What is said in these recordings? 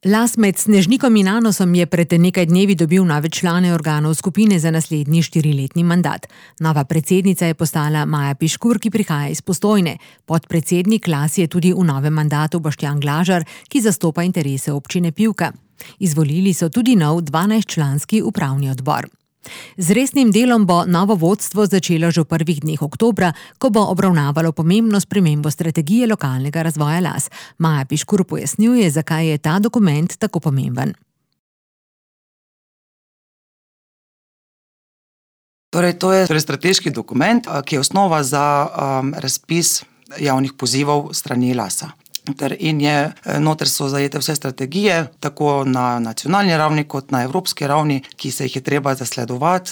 Las med Snežnikom in Anosom je pred nekaj dnevi dobil nove člane organov skupine za naslednji 4-letni mandat. Nova predsednica je postala Maja Piškur, ki prihaja iz Postojne. Podpredsednik Las je tudi v novem mandatu Boštjan Glažar, ki zastopa interese občine Pivka. Izvolili so tudi nov 12-članski upravni odbor. Z resnim delom bo novo vodstvo začelo že v prvih dneh oktobra, ko bo obravnavalo pomembno spremembo strategije lokalnega razvoja Las. Maja Piškur pojasnjuje, zakaj je ta dokument tako pomemben. Torej, to je strateški dokument, ki je osnova za razpis javnih pozivov strani Lasa. Noter so zajete vse strategije, tako na nacionalni ravni kot na evropski ravni, ki se jih je treba zasledovati,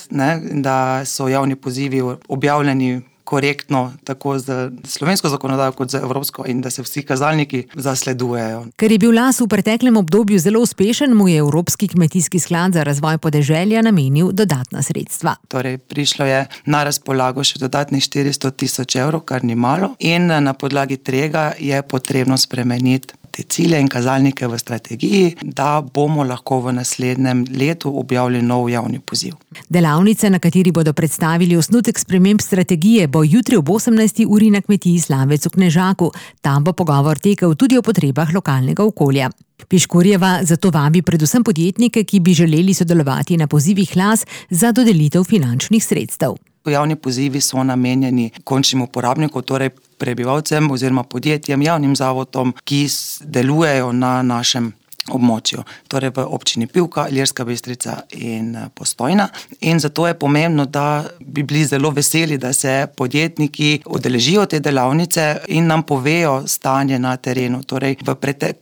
da so javni pozivi objavljeni korektno, tako za slovensko zakonodajo kot za evropsko, in da se vsi kazalniki zasledujejo. Ker je bil Las v preteklem obdobju zelo uspešen, mu je Evropski kmetijski sklad za razvoj podeželja namenil dodatna sredstva. Torej, prišlo je na razpolago še dodatnih 400 000 evrov, kar ni malo, in na podlagi tega je potrebno spremeniti te cilje in kazalnike v strategiji, da bomo lahko v naslednjem letu objavili nov javni poziv. Delavnica, na kateri bodo predstavili osnutek sprememb strategije, bo jutri ob 18. uri na kmetiji Slavec v Knežaku. Tam bo pogovor tekel tudi o potrebah lokalnega okolja. Piškurjeva zato vabi predvsem podjetnike, ki bi želeli sodelovati na pozivih Las za dodelitev finančnih sredstev. Javni pozivi so namenjeni končnim uporabnikom, torej prebivalcem oziroma podjetjem, javnim zavodom, ki delujejo na našem območju, torej v občini Pivka, Ilirska Bistrica in Postojna. In zato je pomembno, da bi bili zelo veseli, da se podjetniki udeležijo te delavnice in nam povejo stanje na terenu, torej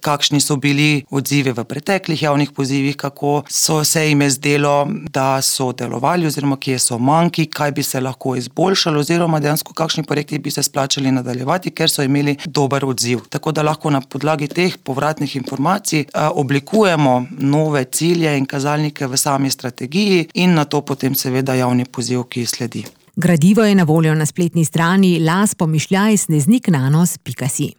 kakšni so bili odzivi v preteklih javnih pozivih, kako so se jim zdelo, da so delovali oziroma kje so manjki, kaj bi se lahko izboljšalo oziroma dejansko kakšni projekti bi se splačali nadaljevati, ker so imeli dober odziv. Tako da lahko na podlagi teh povratnih informacij oblikujemo nove cilje in kazalnike v sami strategiji in na to potem seveda javni poziv, ki sledi. Gradivo je na voljo na spletni strani las-sneznik-nanos.si.